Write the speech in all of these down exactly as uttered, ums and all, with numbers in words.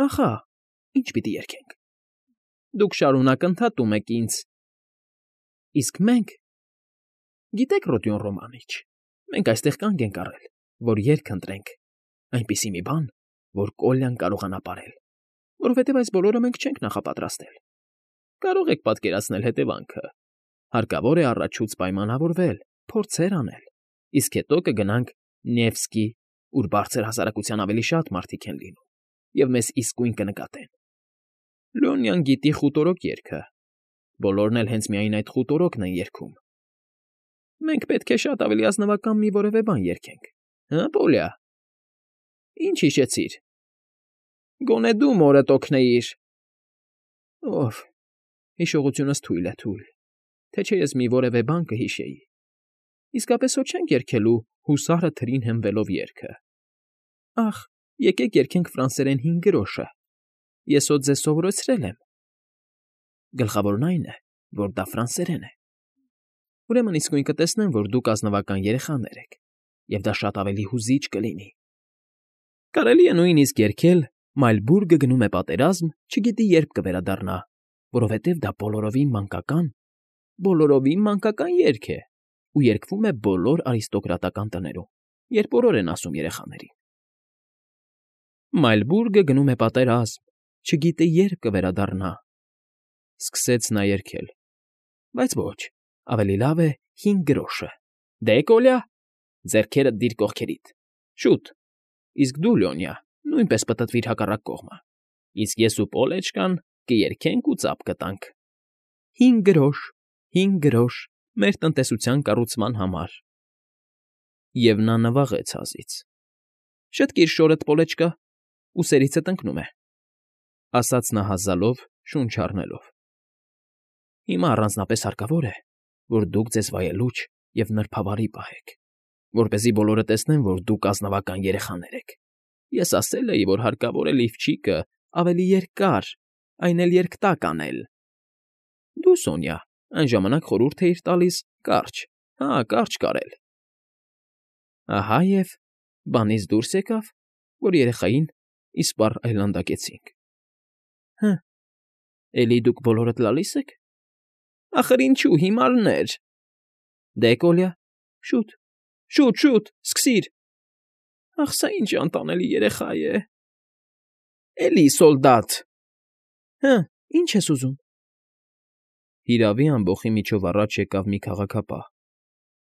Ախա, ի՞նչ պիտի երգենք։ Դուք շարունակ ընդհատում եք ինձ։ Իսկ մենք… Գիտե՞ք, Ռոդիոն Ռոմանիչ, մենք այստեղ կանգ ենք առել, որ երգ ընտրենք, այնպիսի մի բան, որ Կոլյան կարողանա ապարել, որովհետև այս բոլորը մենք չենք նախապատրաստել։ Կարող եք պատկերացնել հետևանքը. հարկավոր է առաջուց պայմանավորվել, փորձեր անել, իսկ հետո կգնանք Նևսկի, ուր բարձր հասարակության ավելի շատ մարդիկ են լինում, և մեզ իսկույն կնկատեն։ Լեոնյան գիտի խուտորոք երգը, բոլորն էլ հենց միայն այդ խուտորոքն են երգում։ Մենք պետք է շատ ավելի ազնվական մի որևէ բան երգենք, հը՞, Պոլիա։ Ինչ հիշեցիր։ Գոնե դու մորդ օգնեիր։ Ով, հիշողությունս թույլ է, թույլ, թե չէ ես մի որևէ բան կհիշեի։ Իսկապես հո չենք երգելու հուսարը թրին հենվելով երգը։ Ախ, եկեք երգենք ֆրանսերեն հինգ գրոշը։ Ես հո ձեզ սովորեցրել եմ։ Գլխավորն այն է, որ դա ֆրանսերեն է։ Ուրեմն իսկույն կտեսնեմ, որ դուք ազնվական երեխաներ եք, և դա շատ ավելի հուզիչ կլինի։ Կարելի է նույնիսկ երգել «Մայլբուրգը գնում է պատերազմ, չգիտի երբ կվերադառնա», որովհետև դա բոլորովին մանկական, բոլորովին մանկական երգ է ու երգվում է բոլոր արիստոկրատական տներում, երբ օրոր են ասում երեխաներին։ Մայլբուրգը գնում է պատերազմ, չգիտե երբ կվերադառնա, սկսեց նա երգել, բայց ոչ, ավելի լավ է հինգ գրոշը։ Դե, Կոլյա, ձեռքերդ դիր կողքերիդ, շուտ, իսկ դու, Լեոնիա, նույնպես պտտվիր հակառակ կողմը, իսկ ես ու Պոլեչկան կերգենք ու ծափ կտանք։ Հինգ գրոշ, հինգ գրոշ, մեր տնտեսության կառուցման համար։ Եվ նա նվաղեց հազիծ։ Շտկիր շորդ, Պոլեչկա, ուսերիցդ ընկնում է, ասաց նա հազալով, շունչ առնելով։ Հիմա առանձնապես հարկավոր է, որ դուք ձեզ վայելուչ և նրբավարի պահեք, որպեսզի բոլորը տեսնեն, որ դուք ազնվական երեխաներ եք։ Ես ասել էի, որ հարկավոր է լիֆչիկը ավելի երկար, այն էլ երկտակ անել։ Դու, Սոնյա, այն ժամանակ խորհուրդ էիր տալիս կարճ, հա, կարճ կարել։ Ահա և բանից դուրս եկավ, որ երեխային իսպառ այլանդակեցինք։ Հը, էլի դուք բոլորդ լալի՞ս եք։ Ախր ինչու, հիմարներ։ Դե, Կոլյա, շուտ, շուտ, շուտ, սկսիր։ Ախ, սա ինչ անտանելի երեխա է։ Էլի, սոլդատ։ Հը, ինչ ես ուզում։ Հիրավի, ամբոխի միջով առաջ եկավ մի քաղաքապահ,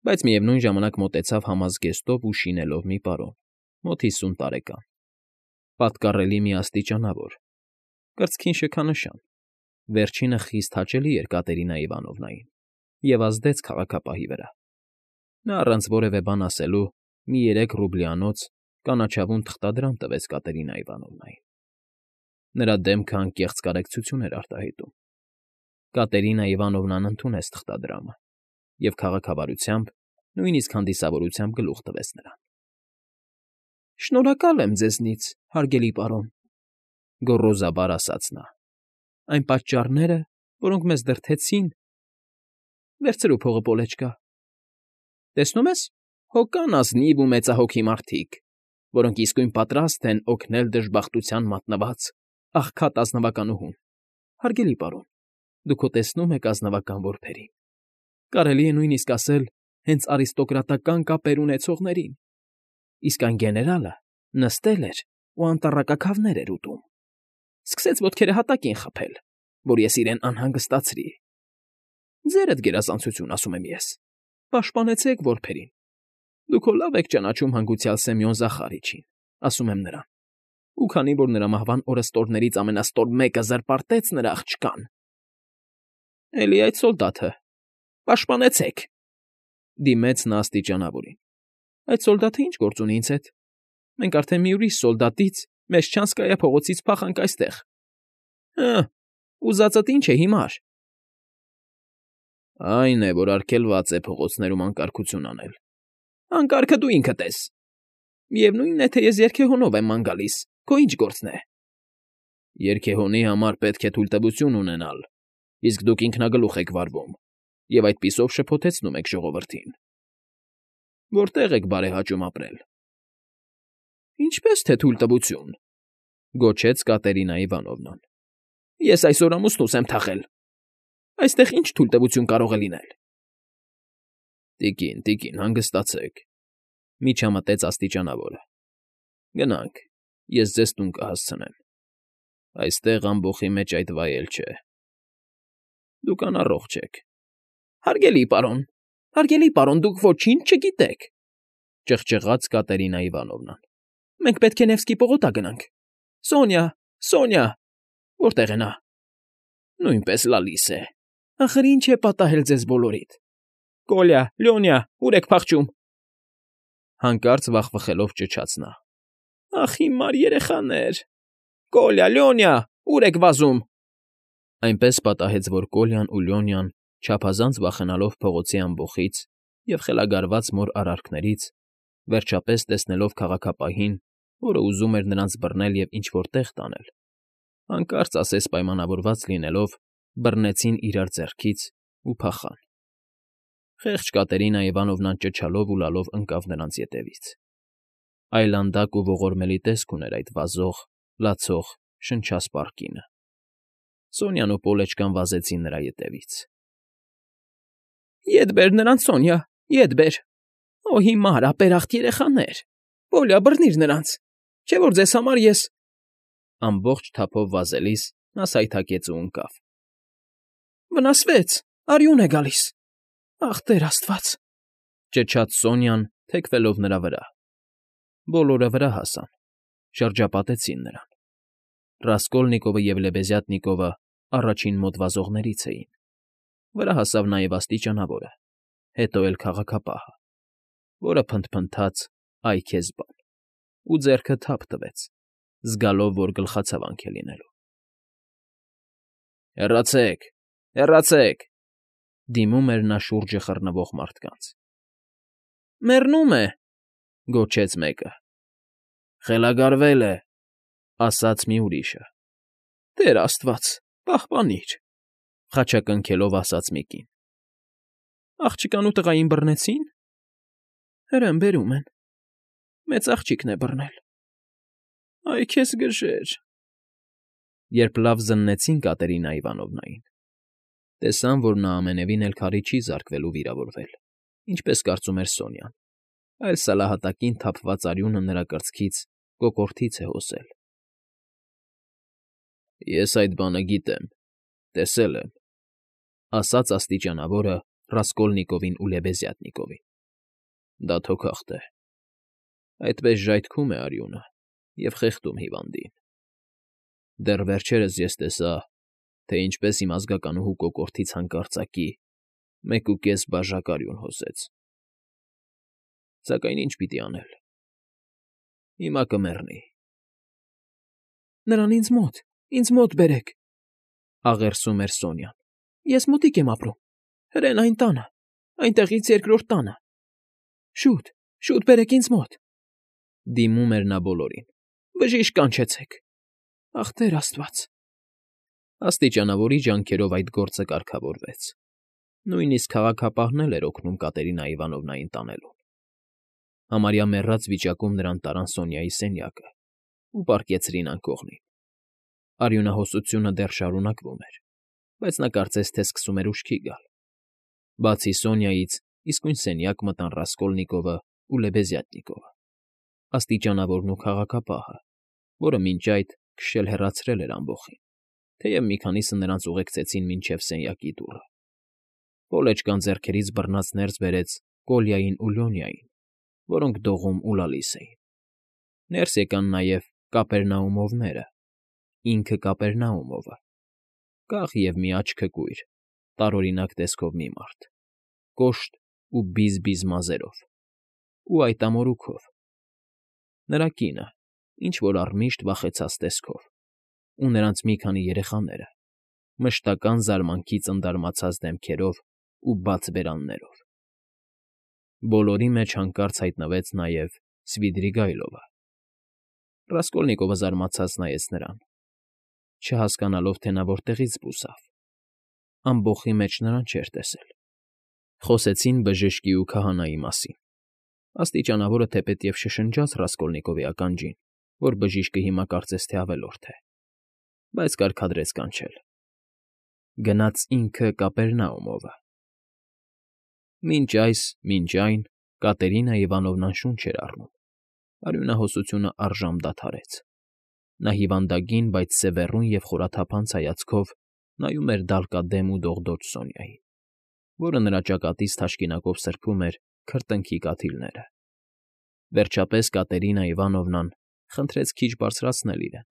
բայց միևնույն ժամանակ մոտեցավ համազգեստով ու շինելով մի պարոն, մոտ հիսուն տարեկան, պատկառելի մի աստիճանավոր, կրծքին շքանշան, վերջինը խիստ հաճելի էր Կատերինա Իվանովնային և ազդեց քաղաքապահի վրա։ Նա առանց որևէ բան ասելու մի երեք ռուբլյանոց կանաչավուն թղթադրամ տվեց Կատերինա Իվանովնային։ Նրա դեմքը անկեղծ կարեկցություն էր արտահայտում։ Կատերինա Իվանովնան ընդունեց թղթադրամը և քաղաքավարությամբ, նույնիսկ հանդիսավորությամբ գլուխ տվեց նրան։ Շնորհակալ եմ ձեզնից, հարգելի պարոն, գոռոզաբար ասաց նա։ Այն պատճառները, որոնք մեզ դրդեցին… Վերցրու փողը, Պոլեչկա։ Տեսնում ես, հո կան ազնիվ ու մեծահոգի մարդիկ, որոնք իսկույն պատրաստ են օգնել դժբախտության մատնված, աղքատ ազնվականուհուն։ Հարգելի պարոն, դուք հո տեսնում եք ազնվական որբերին։ Կարելի է նույնիսկ ասել հենց արիստոկրատական կապեր ունեցողներին, իսկ այն գեներալը նստել էր ու անտառակաքավներ էր ուտում։ Սկսեց ոտքերը հատակին խփել, որ ես իրեն անհանգստացրի։ Ձերդ գերազանցություն, ասում եմ ես, պաշտպանեցեք որբերին։ Դուք հո լավ եք ճանաչում հանգուցյալ Սեմյոն Զախարիչին, ասում եմ նրան, ու քանի որ նրա մահվան օրըստօրներից ամենաստոր մեկը զրպարտեց նրա աղջկան… Էլի այդ սոլդաթը… Պաշտպանեցեք… Դիմեց նա աստիճանավորին։ Այդ սոլդաթը ի՞նչ գործ ունի ինձ հետ։ Մենք արդեն մի ուրիշ սոլդատից Մեշչանսկայա փողոցից փախանք այստեղ։ Հը, ուզածդ ինչ է հիմար։ Այն է, որ արգելված է փողոցներում անկարգություն անել։ Անկարգը դու ինքդ ես։ Միևնույնն է, թե ես երգեհոնով եմ ման գալիս, քո ինչ գործն է։ Երգեհոնի համար պետք է թույլտվություն ունենալ, իսկ դուք ինքնագլուխ եք վարվում և այդպիսով շփոթեցնում եք ժողովրդին։ Որտե՞ղ եք բարեհաճում ապրել։ Ինչպե՞ս թե թույլտվություն։ Գոչեց Կատերինա Իվանովնան։ Ես այսօր ամուսնուս եմ թաղել։ Այստեղ ինչ թույլտվություն կարող է լինել։ Տիկին, տիկին, հանգստացեք,֊ միջամտեց աստիճանավորը։ Գնանք, ես ձեզ տուն կհասցնեմ։ Այստեղ ամբոխի մեջ այդ վայել չէ։ Դուք անառողջ եք։ Հարգելի պարոն, հարգելի պարոն, դուք ոչինչ չգիտեք,֊ ճղճղաց Կատերինա Իվանովնան։ Մենք պետք է Նևսկի պողոտա գնանք։ Սոնյա, Սոնյա, որտե՞ղ է նա։ Նույնպես լալիս է։ Ախր ինչ է պատահել ձեզ բոլորիդ։ Կոլյա, Լյոնյա, ուր եք փախչում։ Հանկարծ վախվխելով ճչաց նա։ Ախ, հիմար երեխաներ։ Կոլյա, Լյոնյա, ուր եք վազում։ Այնպես պատահեց, որ Կոլյան ու Լյոնյան, չափազանց վախենալով փողոցի ամբոխից և խելագարված մոր արարքներից, վերջապես տեսնելով քաղաքապահին, որը ուզում էր նրանց բռնել և ինչ֊որ տեղ տանել, հանկարծ ասես պայմանավորված լինելով, բռնեցին իրար ձեռքից ու փախան։ Խեղճ Կատերինա Իվանովնան ճչալով ու լալով ընկավ նրանց ետևից։ Այլանդակ ու ողորմելի տեսք ուներ այդ վազող, լացող, շնչասպառ կինը։ Սոնյան ու Պոլեչկան վազեցին նրա ետևից։ Ետ բեր նրանց, Սոնյա, ետ բեր։ Օ, հիմար, ապերախտ երեխաներ։ Պոլյա, բռնիր նրանց, չէ՞ որ ձեզ համար ես… Ամբողջ թափով վազելիս նա սայթաքեց ու ընկավ։ Վնասվեց, արյուն է գալիս։ Ախ, Տեր Աստված,֊ ճչաց Սոնյան, թեքվելով նրա վրա։ Բոլորը վրա հասան, շրջապատեցին նրան։ Ռասկոլնիկովը և Լեբեզյատնիկովը առաջին մոտ վազողներից էին։ Վրա հասավ նաև աստիճանավորը, հետո էլ քաղաքապահը, որը փնթփնթաց «Այ քեզ բան» ու ձեռքը թափ տվեց, զգալով, որ գլխացավանք է լինելու։ Հեռացեք, հեռացեք,֊ դիմում էր նա շուրջը խռնվող մարդկանց։ Մեռնում է,֊ գոչեց մեկը։ Խելագարվել է,֊ ասաց մի ուրիշը։ Տեր Աստված, պահպանիր,֊ խաչակնքելով ասաց մի կին։ Աղջկան ու տղային բռնեցի՞ն։ Հրեն բերում են։ Մեծ աղջիկն է բռնել։ Այ քեզ գժեր… Երբ լավ զննեցին Կատերինա Իվանովնային, տեսան, որ նա ամենևին էլ քարի չի զարկվել ու վիրավորվել, ինչպես կարծում էր Սոնյան, այլ սալահատակին թափված արյունը նրա կրծքից, կոկորդից է հոսել։ Ես այդ բանը գիտեմ, տեսել եմ,֊ ասաց աստիճանավորը Ռասկոլնիկովին ու Լեբեզյատնիկովին։ Դա թոքախտ է։ Այդպես ժայթքում է արյունը և խեղդում հիվանդին։ Դեռ վերջերս ես տեսա, թե ինչպես իմ ազգականուհու կոկորդից հանկարծակի մեկ ու կես բաժակ արյուն հոսեց։ Սակայն ինչ պիտի անել։ Հիմա կմեռնի։ Նրան ինձ մոտ, ինձ մոտ բերեք,֊ աղերսում էր Սոնյան։ Ես մոտիկ եմ ապրում, հրեն այն տանը, այնտեղից երկրորդ տանը։ Շուտ, շուտ բերեք ինձ մոտ,֊ դիմում էր նա բոլորին։ Բժիշկ կանչեցեք։ Ախ, Տեր Աստված… Աստիճանավորի ջանքերով այդ գործը կարգավորվեց։ Նույնիսկ քաղաքապահն էլ էր օգնում Կատերինա Իվանովնային տանելուն։ Համարյա մեռած վիճակում նրան տարան Սոնյայի սենյակը ու պառկեցրին անկողին։ Արյունահոսությունը դեռ շարունակվում էր, բայց նա կարծես թե սկսում էր ուշքի գալ։ Բացի Սոնյայից, իսկույն սենյակ մտան Ռասկոլնիկովը ու Լեբեզյատնիկովը, աստիճանավորն ու քաղաքապահը, որը մինչ այդ քշել հեռացրել էր ամբոխին, թեև մի քանիսը նրանց ուղեկցեցին մինչև սենյակի դուռը։ Պոլեչկան ձեռքերից բռնած ներս բերեց Կոլյային ու Լյոնյային, որոնք դողում ու լալիս էին։ Ներս եկան նաև Կապերնաումովները, ինքը Կապերնաումովը, կախ և մի աչքը կույր, տարօրինակ տեսքով մի մարդ, կոշտ ու բիզ֊բիզ մազերով, ու այդ ամորուքով։ Նրա կինը, ինչ֊որ առմիշտ վախեցած տեսքով, ու նրանց մի քանի երեխաները, մշտական զարմանքից ընդարմացած դեմքերով ու բաց բերաններով։ Բոլորի մեջ հանկարծ հայտնվեց նաև Սվիդրիգայլովը։ Ռասկոլնիկովը զարմացած նայեց նրան, չհասկանալով, թե նա որտեղից զբոսավ։ Ամբոխի մեջ նրան չէր տեսել։ Խոսեցին բժշկի ու քահանայի մասին։ Աստիճանավորը թեպետև շշնջաց Ռասկոլնիկովի ականջին, որ բժիշկը հիմա կարծես թե ավելորդ է, բայց կարգադրեց կանչել. գնաց ինքը Կապերնաումովը։ Մինչ այս, մինչ այն Կատերինա Իվանովնան շունչ էր առնում, արյունահոսությունը առժամ դադարեց։ Նա հիվանդագին, բայց սևեռուն և խորաթափանց հայացքով նայում էր դալկադեմ ու դողդոջ Սոնյային, որը նրա ճակատից թաշկինակով սրբում էր քրտինքի կաթիլները։ Վերջապես Կատերինա Իվանովնան խնդրեց քիչ բարձրացնել իրեն։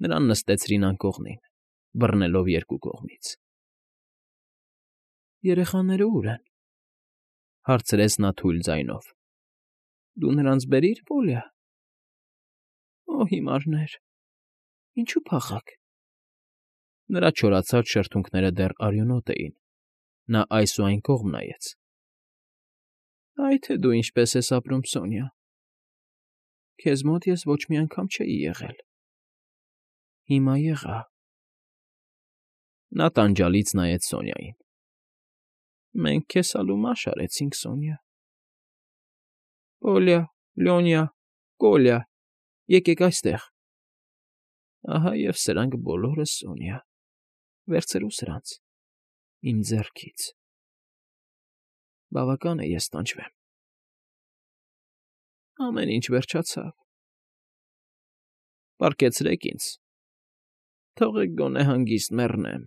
Նրան նստեցրին անկողնին, բռնելով երկու կողմից։ ֊ Երեխաները ո՞ւր են,֊ հարցրեց նա թույլ ձայնով։ ֊ Դու նրանց բերիր, Պոլիա։ ֊ Օ, հիմարներ, ինչու փախաք։ Նրա չորացած շրթունքները դեռ արյունոտ էին։ Նա այս ու այն կողմ նայեց։ ֊ Այ թե դու ինչպես ես ապրում, Սոնյա… Քեզ մոտ ես ոչ մի անգամ չէի եղել, հիմա եղա… Նա տանջալից նայեց Սոնյային։ ֊ Մենք քեզ հալումաշ արեցինք, Սոնյա… Պոլիա, Լյոնյա, Կոլյա, եկեք այստեղ… Ահա և սրանք բոլորը, Սոնյա… Վերցրու սրանց… իմ ձեռքից… Բավական է, ես տանջվեմ… Ամեն ինչ վերջացավ… Պառկեցրեք ինձ… Թողեք գոնե հանգիստ մեռնեմ…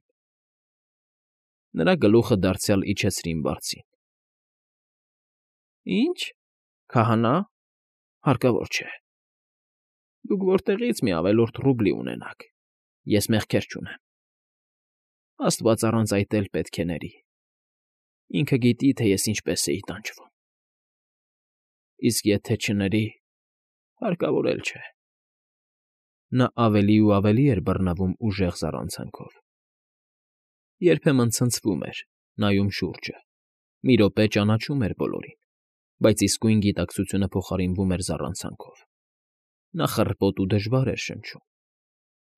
Նրա գլուխը դարձյալ իջեցրին բարձին։ ֊ Ի՞նչ, քահանա… Հարկավոր չէ… Դուք որտեղի՞ց մի ավելորդ ռուբլի ունենաք… Ես մեղքեր չունեմ… Աստված առանց այդ էլ պետք է ների… Ինքը գիտի, թե ես ինչպես էի տանջվում… Իսկ եթե չների, հարկավոր էլ չէ… Նա ավելի ու ավելի էր բռնվում ուժեղ զառանցանքով։ Երբեմն ցնցվում էր, նայում շուրջը, մի րոպե ճանաչում էր բոլորին, բայց իսկույն գիտակցությունը փոխարինվում էր զառանցանքով։ Նա խռպոտ ու դժվար էր շնչում,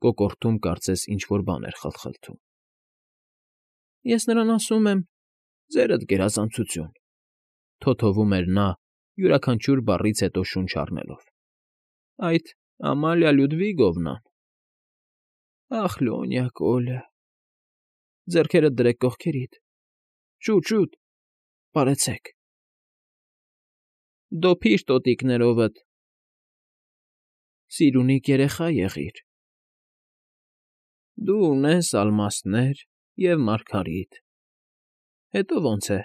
կոկորդում կարծես ինչ֊որ բան էր խլխլթում։ ֊ Ես նրան ասում եմ. ձերդ գերազանցություն…֊ թոթովում էր նա, յուրաքանչյուր բառից հետո շունչ առնելով։֊ Այդ Ամալիա Լյուդվիգովնան… Ախ, Լյոնյա, Կոլյա… Ձեռքերդ դրեք կողքերիդ… Շուտ, շուտ… Պարեցեք… Դոփի՛ր տոտիկներովդ… Սիրունիկ երեխա եղիր… Դու ունես ալմաստներ և մարգարիտ… Հետո ո՞նց է…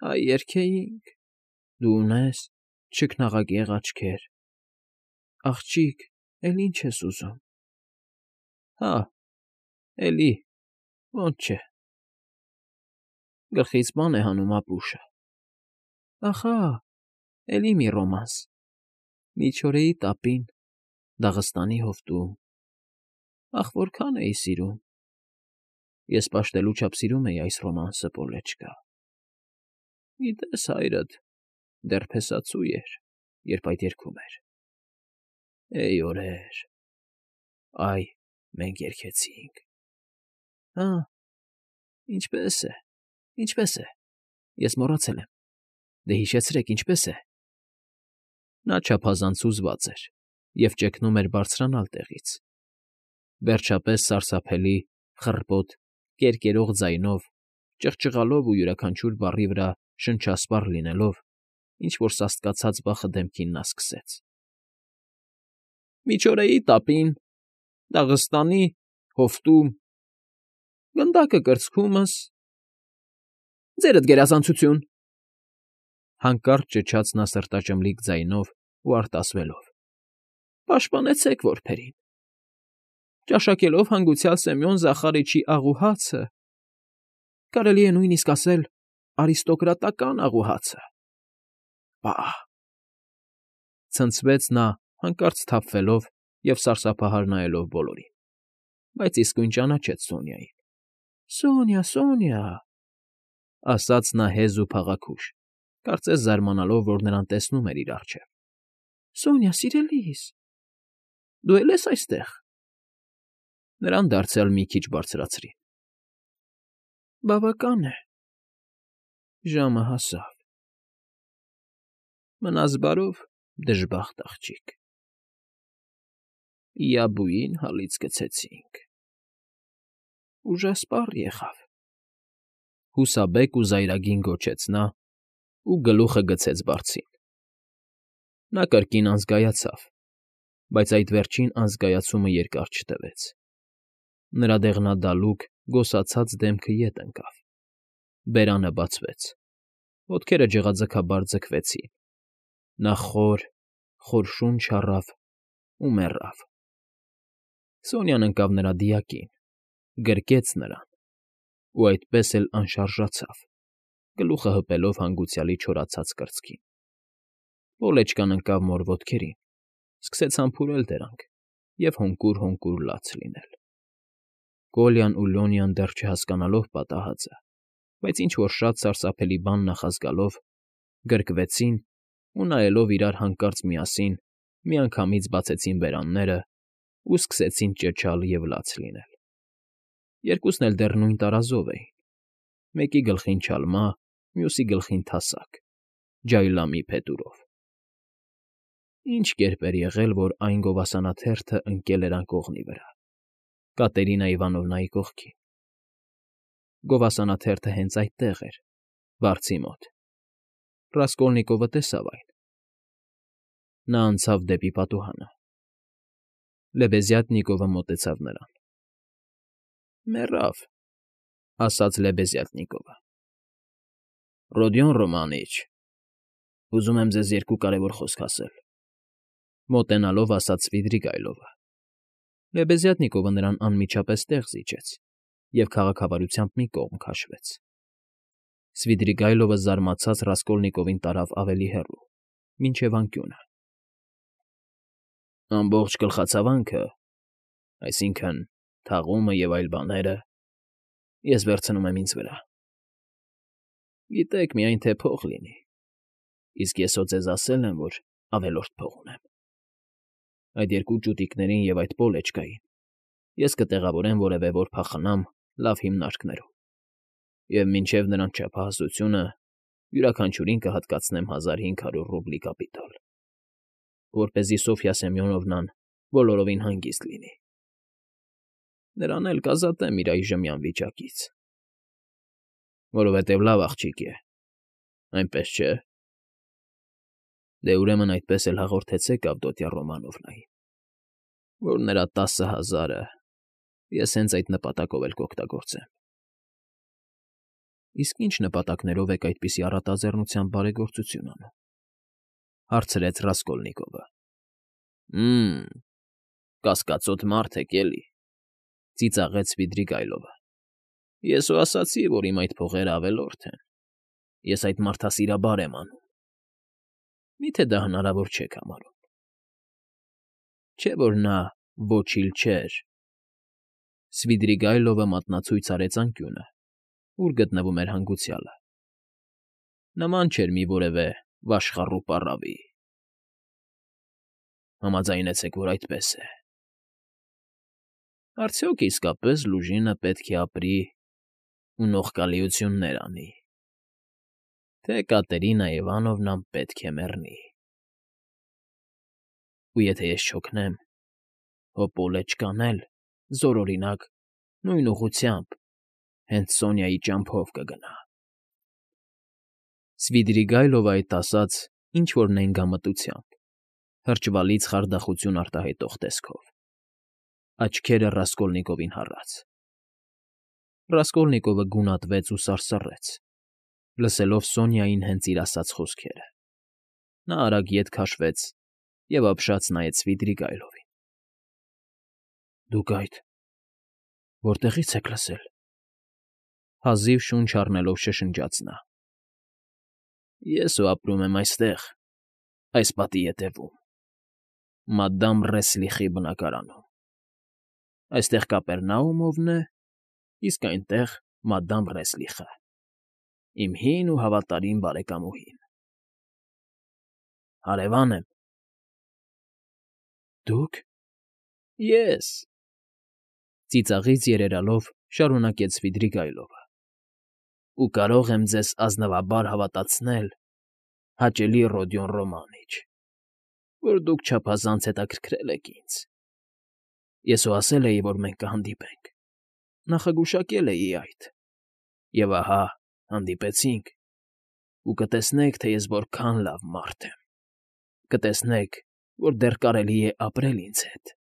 Հայ երգեինք… Դու ունես չքնաղակեղ աչքեր… Աղջիկ, էլ ի՞նչ ես ուզում… Հա, էլի… ոնց չէ… Գլխից բան է հանում ապուշը… Ախա… Էլի մի ռոմանս… Միչորեի տապին… Դաղստանի հովտում… Ախ, որքան էի սիրում… Ես պաշտելու չափ սիրում էի այս ռոմանսը, Պոլեչկա… Գիտես, հայրդ դեռ փեսացու էր, երբ այդ երգում էր… Էյ օրեր… Այ մենք երգեցինք… Հա, ինչպե՞ս է, ինչպե՞ս է… Ես մոռացել եմ… Դե հիշեցրեք, ինչպե՞ս է… Նա չափազանց հուզված էր և ճգնում էր բարձրանալ տեղից… Վերջապես սարսափելի, խռպոտ, կերկերող ձայնով, ճղճղալով ու յուրաքանչյուր բառի վրա շնչասպառ լինելով, ինչ֊որ սաստկացած վախը դեմքին նա սկսեց. Միչորեի տապին… Դաղստանի… Հովտում… Գնդակը կրծքումս… Ձերդ գերազանցություն… Հանկարծ ճչաց նա սրտաճմլիկ ձայնով ու արտասվելով. Պաշտպանեցեք որբերին… Ճաշակելով հանգուցյալ Սեմյոն Զախարիչի աղուհացը… Կարելի է նույնիսկ ասել արիստոկրատական աղուհացը… Պաաա՜… Ցնցվեց նա, հանկարծ սթափվելով և սարսափահար նայելով բոլորին, բայց իսկույն ճանաչեց Սոնյային։ ֊ Սոնյա, Սոնյա…֊ ասաց նա հեզ ու փաղաքուշ, կարծես զարմանալով, որ նրան տեսնում էր իր առջև։ ֊ Սոնյա, սիրելիս… Դու է՞լ ես այստեղ… Նրան դարձյալ մի քիչ բարձրացրին։ ֊ Բավական է… ժամը հասավ… Մնաս բարով, դժբախտ աղջիկ… Իաբուին հալից գցեցինք։ Ուժասպառ եղավ,֊ հուսաբեկ ու զայրագին գոչեց նա ու գլուխը գցեց բարձին։ Նա կրկին անզգայացավ, բայց այդ վերջին անզգայացումը երկար չտևեց. նրա դեղնադալուկ, գոսացած դեմքը ետ ընկավ, բերանը բացվեց, ոտքերը ջղաձգաբար ձգվեցին, նա խոր, խոր շունչ առավ ու մեռավ։ Սոնյան ընկավ նրա դիակին, գրկեց նրան ու այդպես էլ անշարժացավ, գլուխը հպելով հանգուցյալի չորացած կրծքին։ Պոլեչկան ընկավ մոր ոտքերին, սկսեց համբուրել դրանք և հոնկուր֊հոնկուր լաց լինել։ Կոլյան ու Լոնյան դեռ չհասկանալով պատահածը, բայց ինչ֊որ շատ սարսափելի բան նախազգալով, գրկվեցին ու, նայելով իրար հանկարծ միասին, միանգամից բացեցին բերաններն ու սկսեցին ճչալ և լաց լինել։ Երկուսն էլ դեռ նույն տարազով էին, մեկի գլխին չալմա, մյուսի գլխին թասակ, ջայլամի փետուրով։ Ինչ կերպ էր եղել, որ այն գովասանաթերթը ընկել էր անկողնի վրա, Կատերինա Իվանովնայի կողքին։ Գովասանաթերթը հենց այդտեղ էր, վարձի մոտ։ Ռասկոլնիկովը տեսավ այն։ Նա անցավ դեպի պատուհանը։ Լեբեզյատնիկովը մոտեցավ նրան։ ֊ Մեռավ,֊ ասաց Լեբեզյատնիկովը։ ֊ Ռոդիոն Ռոմանիչ, ուզում եմ ձեզ երկու կարևոր խոսք ասել,֊ մոտենալով ասաց Սվիդրիգայլովը։ Լեբեզյատնիկովը նրան անմիջապես տեղ զիջեց և քաղաքավարությամբ մի կողմ քաշվեց։ Սվիդրիգայլովը զարմացած Ռասկոլնիկովին տարավ ավելի հեռու, մինչև անկյունը։ ֊ Ամբողջ գլխացավանքը, այսինքն՝ թաղումը և այլ բաները, ես վերցնում եմ ինձ վրա։ Գիտեք միայն, թե փող լինի, իսկ ես հո ձեզ ասել եմ, որ ավելորդ փող ունեմ։ Այդ երկու ճուտիկներին և այդ պոլեչկային ես կտեղավորեմ որևէ որբախնամ լավ հիմնարկներում, և մինչև նրանց չափահասությունը յուրաքանչյուրին կհատկացնեմ հազար հինգ հարյուր ռուբլի կապիտալ, որպեսզի Սոֆյա Սեմյոնովնան բոլորովին հանգիստ լինի։ Նրան էլ կազատեմ իր այժմյան վիճակից, որովհետև լավ աղջիկ է, այնպես չէ՞։ Դե, ուրեմն այդպես էլ հաղորդեցեք Ավդոտյա Ռոմանովնային, որ նրա տասը հազարը ես հենց այդ նպատակով էլ կօգտագործեմ։ ֊ Իսկ ի՞նչ նպատակներով եք այդպիսի առատաձեռնությամբ բարեգործություն անում,֊ հարցրեց Ռասկոլնիկովը։ ֊ Հը՜մ, կասկածոտ մարդ եք, էլի,֊ ծիծաղեց Սվիդրիգայլովը։ Ես հո ասացի, որ իմ այդ փողերը ավելորդ են, ես այդ մարդասիրաբար եմ անում։ Մի՞թե դա հնարավոր չեք համարում։ Չէ՞ որ նա ոչիլ չէր։ Սվիդրիգայլովը մատնացույց արեց անկյունը, ուր գտնվում էր հանգուցյալը։ Նման չէր մի որևէ վաշխառու պառավի։ Համաձայնեցեք, որ այդպես է։ Արդյոք իսկապես լուժինը պետք է ապրի ու նողկալիություններ անի, թե Կատերինա Իվանովնան պետք է մեռնի։ Ու եթե ես չօգնեմ, հո Պոլեչկան էլ, զորօրինակ, նույն ուղղությամբ, հենց Սոնյայի ճամփով կգնա։ Սվիդրիգայլովը այդ ասաց ինչ֊որ նենգամտությամբ, հրճվալից խարդախություն արտահայտող տեսքով, աչքերը Ռասկոլնիկովին հառած։ Ռասկոլնիկովը գունատվեց ու սարսռեց, լսելով Սոնյային հենց իր ասած խոսքերը։ Նա արագ ետ քաշվեց և ապշած նայեց Սվիդրիգայլովին։ ֊ Դուք այդ… որտեղի՞ց եք լսել,֊ հազիվ շունչ առնելով շշնջաց նա։ ֊ Ես հո ապրում եմ այստեղ, այս պատի ետևում, մադամ Ռեսլիխի բնակարանում։ Այստեղ Կապերնաումովն է, իսկ այնտեղ մադամ Ռեսլիխը, իմ հին ու հավատարիմ բարեկամուհին։ Հարևան եմ։ ֊ Դուք… Ես,֊ ծիծաղից երերալով շարունակեց Սվիդրիգայլովը,֊ ու կարող եմ ձեզ ազնվաբար հավատացնել, հաճելի Ռոդիոն Ռոմանիչ, որ դուք չափազանց հետաքրքրել եք ինձ, Ես հո ասել էի, որ մենք կհանդիպենք, նախագուշակել էի այդ, և ահա հանդիպեցինք, ու կտեսնեք, թե ես որքան լավ մարդ եմ, կտեսնեք, որ դեռ կարելի է ապրել ինձ հետ։